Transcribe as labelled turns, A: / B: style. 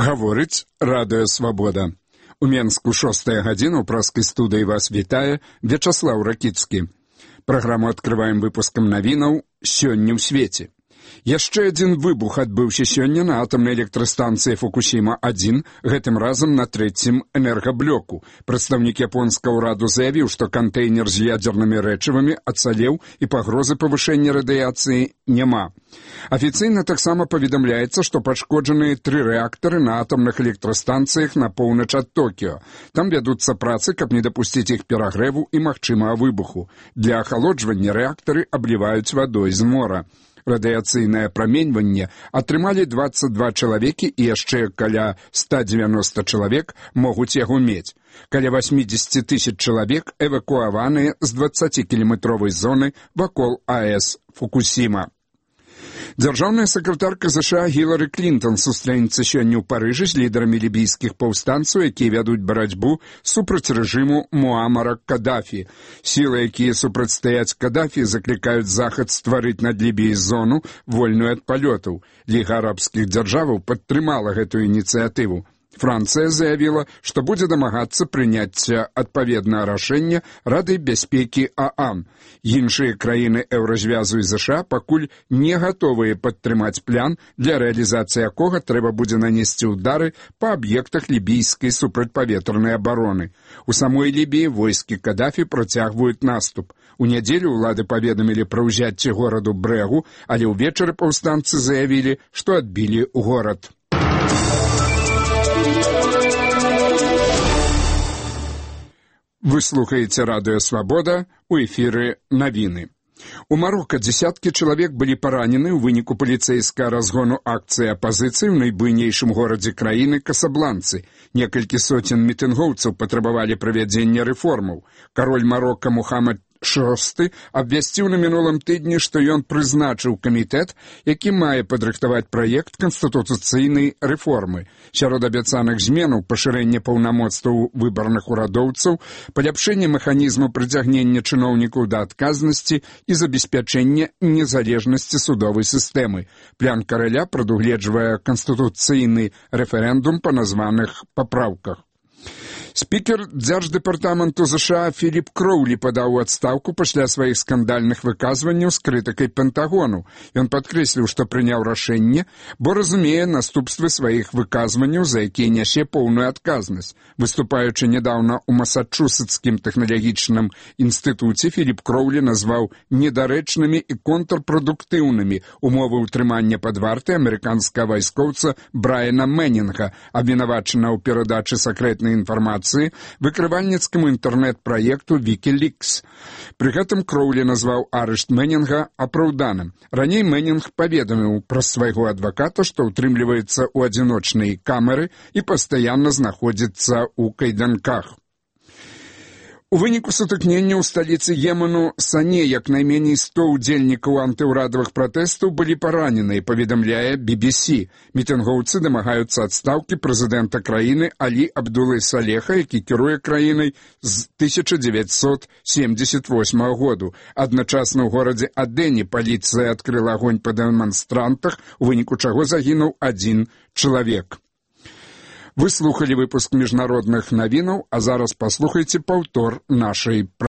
A: Гаворыць Радыё Свабода. У Менску 6 гадзіна ў праскай студыі вас вітае Вячаслаў Ракіцкі. Праграму адкрываем выпускам навінаў «Сёння ў свеце». Яшчэ адзін выбух адбыўся сёння на атамнай электрастанцыі Фукусіма-1, гэтым разам на трэцім энергаблоку. Прадстаўнік японскага ўраду заявіў, што кантэйнер з ядзернымі рэчывамі ацалеў і пагрозы павышэння радыяцыі няма. Афіцыйна таксама паведамляецца, што пашкоджаныя 3 рэактары на атамных электрастанцыях на поўнач ад Токіо. Там вядуцца працы, каб не дапусціць іх перагрэву і магчымага выбуху. Для ахалоджвання рэактары абліваюць вадой з мора. Радыяцыйнае праменьванне атрымалі 22 чалавекі і яшчэ каля 190 чалавек могуць яго мець. Каля 80 тысяч чалавек эвакуаваныя з 20-кіламетровай зоны вакол АЭС Фукусіма. Дзяржаўная сакратарка США Гілары Клінтон сустрэнецца сёння ў Парыжы з лідарамі лібійскіх паўстанцаў, якія вядуць барацьбу супраць рэжыму Муамара Кадафі. Сілы, якія супрацьстаяць Кадафі, заклікаюць Захад стварыць над Лібіяй зону, вольную ад палётаў. Ліга арабскіх дзяржаваў падтрымала гэтую ініцыятыву. Францыя заявіла, што будзе дамагацца прыняцця адпаведнага рашэння Рады бяспекі ААН. Іншыя краіны еўразвязу і США пакуль не гатовыя падтрымаць план, для рэалізацыі якога трэба будзе нанесці ўдары па аб'ектах лібійскай супрацьпаветранай абароны. У самой Лібіі войскі Кадафі працягваюць наступ. У нядзелю ўлады паведамілі пра ўзяцце гораду Брэгу, але ўвечары паўстанцы заявілі, што адбілі горад. Вы слухаеце Радыё Свабода, у эфіры навіны. У Марока дзесяткі чалавек былі паранены ў выніку паліцэйскага разгону акцыі апазіцыі ў найбуйнейшым горадзе краіны Касабланцы. Некалькі соцень мітынгоўцаў патрабавалі правядзення рэформаў. Кароль Марока Мухаммад VI абвясціў на мінулым тыдні, што ён прызначыў камітэт, які мае падрыхтаваць праект канстытуцыйнай рэформы. Сярод абяцаных зменаў пашырэнне паўнамоцтваў выбарных урадоўцаў, паляпшэнне механізму прыцягнення чыноўнікаў да адказнасці і забеспячэння незалежнасці судовай сістэмы. План караля прадугледжвае канстытуцыйны рэферэндум па названых папраўках. Спікер Дзярждэпартаменту США Філіп Кроўлі падаў у адстаўку пасля сваіх скандальных выказванняў з крытыкай Пентагону. Ён падкрэсліў, што прыняў рашэнне, бо разумее наступствы сваіх выказванняў, за якія нясе поўную адказнасць. Выступаючы нядаўна ў Масачусетскім тэхналагічным інстытуце, Філіп Кроўлі назваў недарэчнымі і контрпрадуктыўнымі умовы ўтрымання пад вартай амерыканскага вайскоўца Брайана Мэнінга, абвінавачанага ў перадачы сакрэтнай інфармацыі выкрывальніцкаму інтэрнэт-праекту Wikileaks. Пры гэтым Кроўлі назваў арышт Мэнінга апраўданым. Раней Мэнінг паведаміў праз свайго адваката, што ўтрымліваецца ў адзіночнай камеры і пастаянна знаходзіцца ў кайданках. У выніку сутыкнення ў сталіцы Йемену Сане як найменей 100 удзельнікаў антыўрадавых пратэстаў былі параненыя, паведамляе BBC. Мітынгоўцы дамагаюцца адстаўкі прэзідэнта краіны Алі Абдулы Салеха, які кіруе краінай з 1978 году. Адначасна ў горадзе Адэне паліцыя адкрыла агонь па дэманстрантах, у выніку чаго загінуў 1 чалавек. Вы слухалі выпуск міжнародных навінаў, а зараз паслухайце паўтор нашай